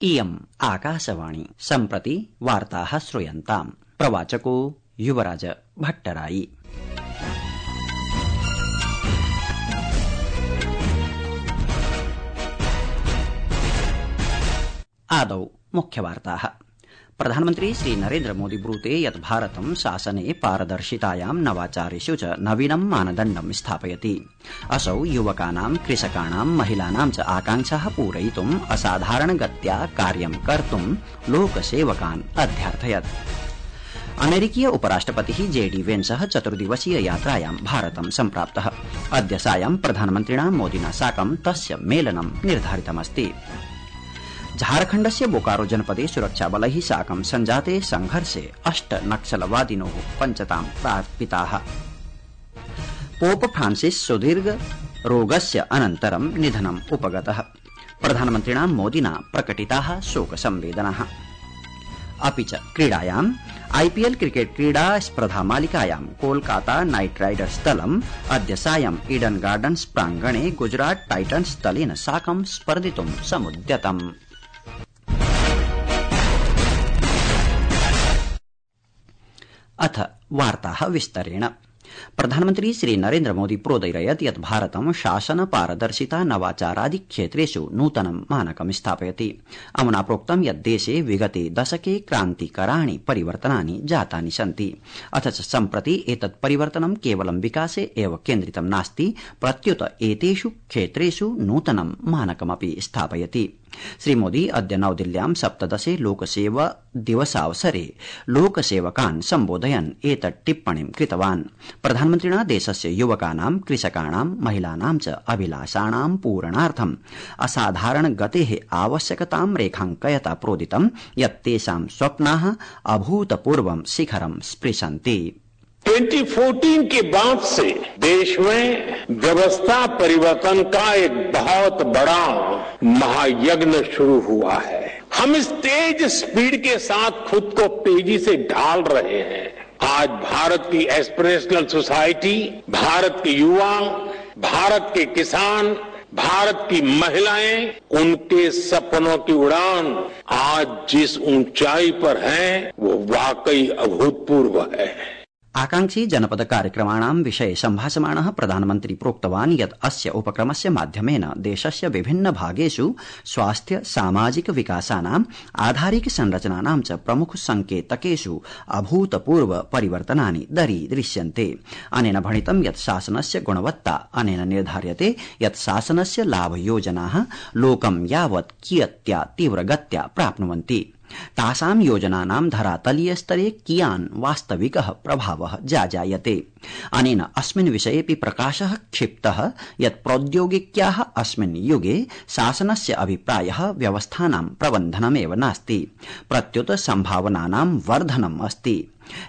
इयम् आकाशवाणी सम्प्रति वार्ताः श्रूयन्ताम्। प्रवाचको युवराज भट्टराई। आदौ मुख्यवार्ताः। प्रधानमन्त्री श्री नरेन्द्र मोदी ब्रूते यत् भारतं शासने पारदर्शितायां नवाचारेषु च नवीनं मानदण्डं स्थापयति। असौ युवकानां, कृषकाणां, महिलानां च आकांक्षाः पूरयितुम् असाधारणगत्या कार्यं कर्तुं लोकसेवकान् अध्यार्थयत्। अमेरिकीय उपराष्ट्रपतिः JD वेन्सः 4 दिवसीय यात्रायां भारतं सम्प्राप्तः। अद्य सायं प्रधानमन्त्रिणा मोदिना साकं तस्य मेलनं निर्धारितमस्ति। झारखण्डस्य बोकारो जनपदे सुरक्षाबलैः साकं सञ्जाते संघर्षे 8 नक्सलवादिनोः पञ्चतां प्रापिताः। पोप फ्रांसिस सुदीर्घ रोगस्य अनन्तरं निधनम् उपगतः। प्रधानमन्त्रिणा मोदिना प्रकटिताः शोकसंवेदनाः। अपि च क्रीडायाम् IPL क्रिकेट क्रीडा स्पर्धा मालिकायां कोलकाता नाइट राइडर्स दलम् अद्य सायं ईडन गार्डन्स प्राङ्गणे गुजरात टाइटन्स दलेन साकं स्पर्धितुं समुद्यतम्। अथ वार्ताः विस्तरेण। प्रधानमन्त्री श्री नरेन्द्र मोदी प्रोदीरयत् यत् भारतं शासन पारदर्शिता नवाचारादि क्षेत्रेषु नूतनं मानकं स्थापयति। अमुना प्रोक्तं यत् देशे विगते दशके क्रान्तिकराणि परिवर्तनानि जातानि सन्ति। अथ च सम्प्रति एतत् परिवर्तनं केवलं विकासे एव केन्द्रितं नास्ति, प्रत्युत एतेषु क्षेत्रेषु नूतनं मानकमपि स्थापयति। श्रीमोदी अद्य नवदिल्ल्यां 17 लोकसेवा दिवसावसरे लोकसेवकान् सम्बोधयन् एतत् टिप्पणीं कृतवान्। प्रधानमन्त्रिणा देशस्य युवकानां, कृषकाणां, महिलानां च अभिलाषाणां पूरणार्थम् असाधारण गतेः आवश्यकतां रेखाङ्कयता प्रोदितं यत् तेषां स्वप्नाः अभूतपूर्वं शिखरं स्पृशन्ति। 2014 के बाद से देश में व्यवस्था परिवर्तन का एक बहुत बड़ा महायज्ञ शुरू हुआ है। हम इस तेज स्पीड के साथ खुद को तेजी से ढाल रहे हैं। आज भारत की एस्पिरेशनल सोसाइटी, भारत के युवा, भारत के किसान, भारत की महिलाएं, उनके सपनों की उड़ान आज जिस ऊंचाई पर है वो वाकई अभूतपूर्व है। आकांक्षी जनपद कार्यक्रमाणां विषये सम्भाषमाणः प्रधानमन्त्री प्रोक्तवान् यत् अस्य उपक्रमस्य माध्यमेन देशस्य विभिन्न भागेषु स्वास्थ्य, सामाजिक विकासानाम्, आधारिक संरचनानां च प्रमुख संकेतकेषु अभूतपूर्व परिवर्तनानि दरीदृश्यन्ते। अनेन भणितं यत् शासनस्य गुणवत्ता अनेन निर्धार्यते यत् शासनस्य लाभयोजनाः लोकं यावत् कियत्या तीव्रगत्या प्राप्नुवन्ति, तासां योजनानां धरातलीय स्तरे कियान् वास्तविकः प्रभावः जाजायते। अनेन अस्मिन् विषयेऽपि प्रकाशः क्षिप्तः यत् प्रौद्योगिक्याः अस्मिन् युगे शासनस्य अभिप्रायः व्यवस्थानां प्रबन्धनमेव नास्ति, प्रत्युत सम्भावनानां वर्धनम् अस्ति।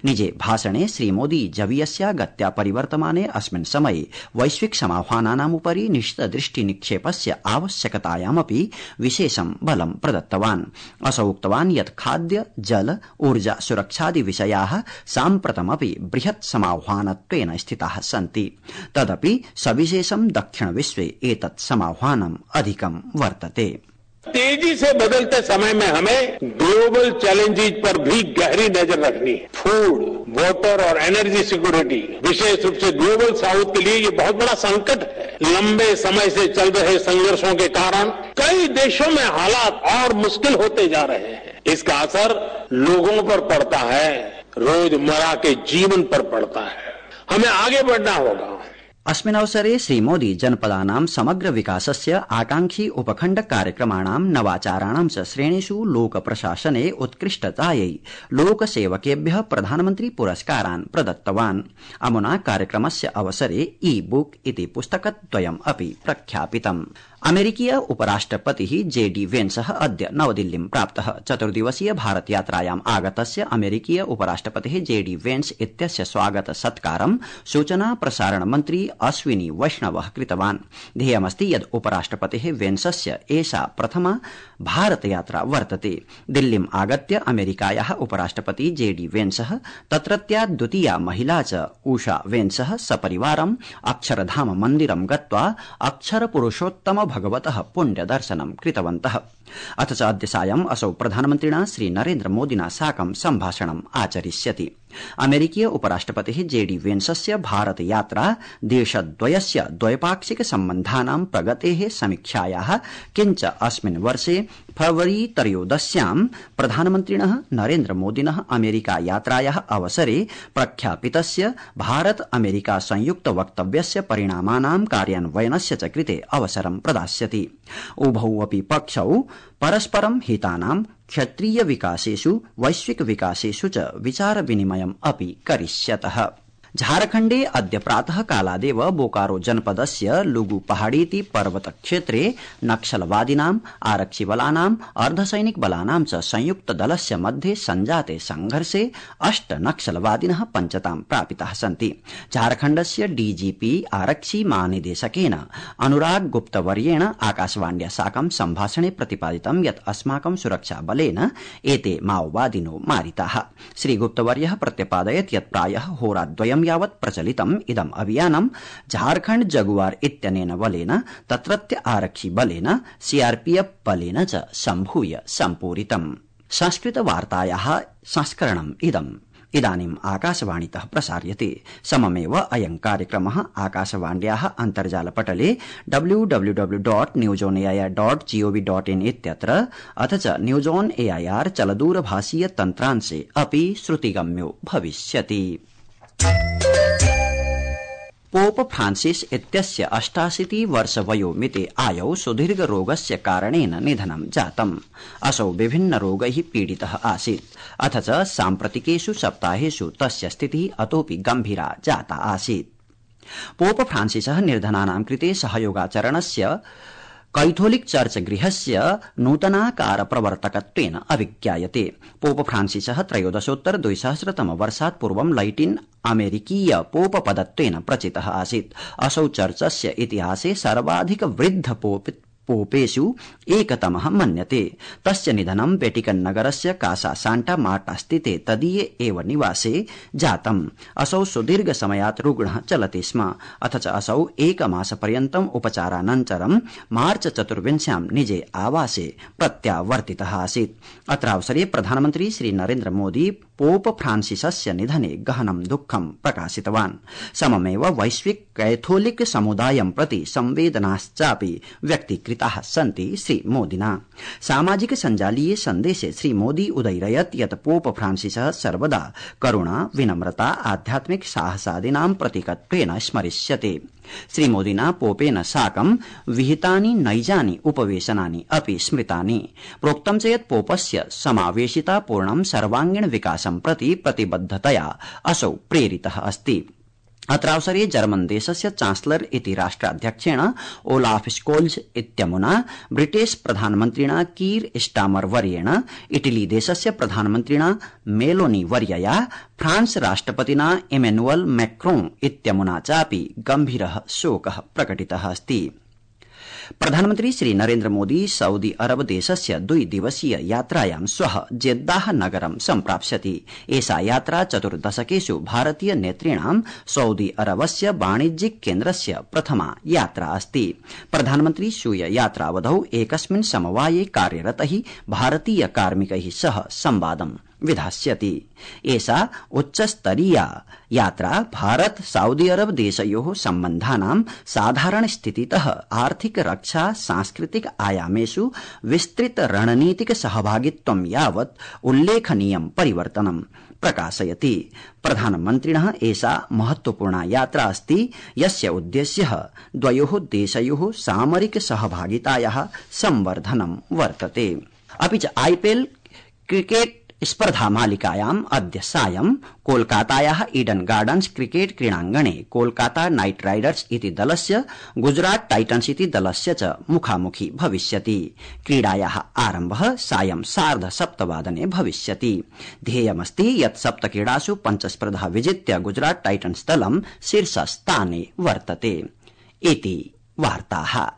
निजे भाषणे श्रीमोदी जवीयस्या गत्या परिवर्तमाने अस्मिन् समये वैश्विक समाह्वानानामुपरि निश्चितदृष्टि निक्षेपस्य आवश्यकतायामपि विशेषं बलं प्रदत्तवान्। असौ उक्तवान् यत् खाद्य, जल, ऊर्जा सुरक्षादि विषयाः साम्प्रतमपि बृहत् समाह्वानत्वेन स्थिताः सन्ति। तदपि सविशेषं दक्षिण विश्वे एतत् समाह्वानम् अधिकं वर्तते। तेजी से बदलते समय में हमें ग्लोबल चैलेंजेस पर भी गहरी नजर रखनी है। फूड, वाटर और एनर्जी सिक्योरिटी, विशेष रूप से ग्लोबल साउथ के लिए ये बहुत बड़ा संकट है। लंबे समय से चल रहे संघर्षों के कारण कई देशों में हालात और मुश्किल होते जा रहे हैं। इसका असर लोगों पर पड़ता है, रोजमर्रा के जीवन पर पड़ता है। हमें आगे बढ़ना होगा। अस्मिन् अवसरे श्रीमोदी जनपदानां समग्र विकासस्य, आकांक्षी उपखण्ड कार्यक्रमाणां, नवाचाराणां च श्रेणीषु लोकप्रशासने उत्कृष्टतायै लोकसेवकेभ्यः प्रधानमन्त्री पुरस्कारान् प्रदत्तवान्। अमुना कार्यक्रमस्य अवसरे ई-बुक इति पुस्तकद्वयम् अपि प्रख्यापितम्। अमेरिकीय उपराष्ट्रपतिः JD वेन्सः अद्य नवदिल्लीं प्राप्तः। 4 दिवसीय भारत यात्रायाम् आगतस्य अमेरिकीय उपराष्ट्रपतिः JD वेन्स इत्यस्य स्वागत सत्कारं सूचना प्रसारण मन्त्री अश्विनी वैष्णवः कृतवान्। ध्येयमस्ति यत् उपराष्ट्रपतिः वेन्सस्य एषा प्रथमा भारत यात्रा वर्तते। दिल्लीम् आगत्य अमेरिकायाः उपराष्ट्रपति JD वेन्सः तत्रत्या द्वितीया महिला च उषा वेन्सः सपरिवारम् अक्षरधाम मन्दिरं गत्वा अक्षर पुरुषोत्तम भगवतः पुण्यदर्शनं कृतवन्तः। अथ च अद्य सायं असौ प्रधानमन्त्रिणा श्री नरेन्द्र मोदिना साकं सम्भाषणम् आचरिष्यति। अमेरिकीय उपराष्ट्रपतिः जेडी वेन्सस्य भारत यात्रा देशद्वयस्य द्वैपाक्षिक सम्बन्धानां प्रगतेः समीक्षायाः किञ्च अस्मिन् वर्षे फरवरी त्रयोदश्यां प्रधानमन्त्रिणः नरेन्द्र मोदिनः अमेरिका यात्रायाः अवसरे प्रख्यापितस्य भारत अमेरिका संयुक्त वक्तव्यस्य परिणामानां कार्यान्वयनस्य च कृते अवसरं प्रदास्यति। उभौ अपि पक्षौ परस्परं हितानां क्षेत्रीय विकासेषु वैश्विक विकासेषु च विचार विनिमयम् अपि करिष्यतः। झारखण्डे अद्य प्रातः कालादेव बोकारो जनपदस्य लुगु पहाड़ीति पर्वत क्षेत्रे नक्सलवादिनाम् आरक्षिबलानाम् अर्धसैनिक बलानां च संयुक्त दलस्य मध्ये संजाते संघर्षे 8 नक्सलवादिनः पञ्चतां प्रापिताः सन्ति। झारखण्डस्य डीजीपी आरक्षि महानिदेशकेन अनुराग गुप्तवर्येण आकाशवाण्या साकं सम्भाषणे प्रतिपादितं यत् अस्माकं सुरक्षा बलेन एते माओवादिनो मारिताः। श्रीगुप्तवर्यः प्रत्यपादयत् यत् प्रायः होराद्वयं यावत् प्रचलितम् इदम् अभियानं झारखण्ड जगुआर इत्यनेन बलेन तत्रत्य आरक्षि बलेन सीआरपीएफ बलेन च सम्भूय सम्पूरितम्। संस्कृत वार्तायाः संस्करणम् इदानीम् आकाशवाणीतः प्रसार्यते। सममेव अयं कार्यक्रमः आकाशवाण्याः अन्तर्जालपटले www.newsonair.gov.in इत्यत्र अथ च न्यूज ऑन एआईआर चलदूरभाषीय तन्त्रांशे अपि श्रुतिगम्यो भविष्यति। पोप फ्रांसिस इत्यस्य 88 वर्षवयोमिते आयौ सुदीर्घ रोगस्य कारणेन निधनं जातम्। असौ विभिन्न रोगैः पीडितः आसीत्। अथ च साम्प्रतिकेषु सप्ताहेषु तस्य स्थितिः अतोऽपि गम्भीरा जाता आसीत्। पोप फ्रांसिसः निर्धनानां कृते सहयोगाचरणस्य कैथोलिक चर्च गृहस्य नूतनाकार प्रवर्तकत्वेन अभिज्ञायते। पोप फ्रांसिसः 13 वर्षात् पूर्वं लैटिन अमेरिकीय पोप पदत्वेन प्रचितः आसीत्। असौ चर्चस्य इतिहासे सर्वाधिक वृद्ध पोपेषु एकतमः मन्यते। तस्य निधनं वेटिकन नगरस्य कासा सांटा मार्टा स्थिते तदीये एव निवासे जातम्। असौ सुदीर्घ समयात् रुग्णः चलति स्म। अथ च असौ एकमासपर्यन्तम् उपचारानन्तरं मार्च 24 निजे आवासे प्रत्यावर्तितः आसीत्। अत्रावसरे प्रधानमन्त्री श्री नरेन्द्र मोदी पोप फ्रांसिसस्य निधने गहनं दुःखं प्रकाशितवान्। सममेव वैश्विक कैथोलिक समुदायं प्रति संवेदनाश्चापि व्यक्तीकृताः सन्ति। श्री मोदिना सामाजिक सञ्जालीय सन्देशे श्री मोदी उदयरयत् यत् पोप फ्रांसिसः सर्वदा करुणा विनम्रता आध्यात्मिक साहसादीनां प्रतीकत्वेन स्मरिष्यते। श्रीमोदिना पोपेन साकं विहितानि नैजानि उपवेशनानि अपि स्मृतानि। प्रोक्तं च यत् पोपस्य समावेशितापूर्णं सर्वांगीण विकासं प्रति प्रतिबद्धतया असौ प्रेरितः अस्ति। अत्रावसरे जर्मन देशस्य चांसलर इति राष्ट्राध्यक्षेण ओलाफ स्कोल्ज इत्यमुना ब्रिटिश प्रधानमन्त्रिणा कीर स्टामर वर्येण इटली देशस्य प्रधानमन्त्रिणा मेलोनी वर्यया फ्रांस राष्ट्रपतिना इमैनुअल मैक्रोन इत्यमुना चापि गम्भीरः शोकः प्रकटितः अस्ति। प्रधानमन्त्री श्री नरेन्द्र मोदी सऊदी अरब देशस्य 2 दिवसीय यात्रायां श्वः जेद्दाह नगरं सम्प्राप्स्यति। एषा यात्रा 4 दशकेषु भारतीय नेतॄणां सऊदी अरबस्य वाणिज्यिक केन्द्रस्य प्रथमा यात्रा अस्ति। प्रधानमन्त्री स्वीय यात्रावधौ एकस्मिन् समवाये कार्यरतैः भारतीय कार्मिकैः सह संवादं विधास्यति। एषा उच्चस्तरीया यात्रा भारत सऊदी अरब देशयोः सम्बन्धानां साधारण स्थितितः आर्थिक रक्षा सांस्कृतिक आयामेषु विस्तृत रणनीतिक सहभागित्वं यावत् उल्लेखनीयं परिवर्तनं प्रकाशयति। प्रधानमन्त्रिणः एषा महत्वपूर्णा यात्रा अस्ति यस्य उद्देश्यः द्वयोः देशयोः सामरिक सहभागितायाः संवर्धनं वर्तते। अपि च आईपीएल क्रिकेट स्पर्धा मालिकायाम् अद्य सायं कोलकातायाः ईडन गार्डन्स क्रिकेट क्रीडाङ्गणे कोलकाता नाइट राइडर्स इति दलस्य गुजरात टाइटन्स इति दलस्य च मुखामुखी भविष्यति। क्रीडायाः आरम्भः सायं 7:30 भविष्यति। ध्येयमस्ति यत् 7 क्रीडासु 5 स्पर्धा विजित्य गुजरात टाइटन्स दलं शीर्षस्थाने वर्तते। इति वार्ताः।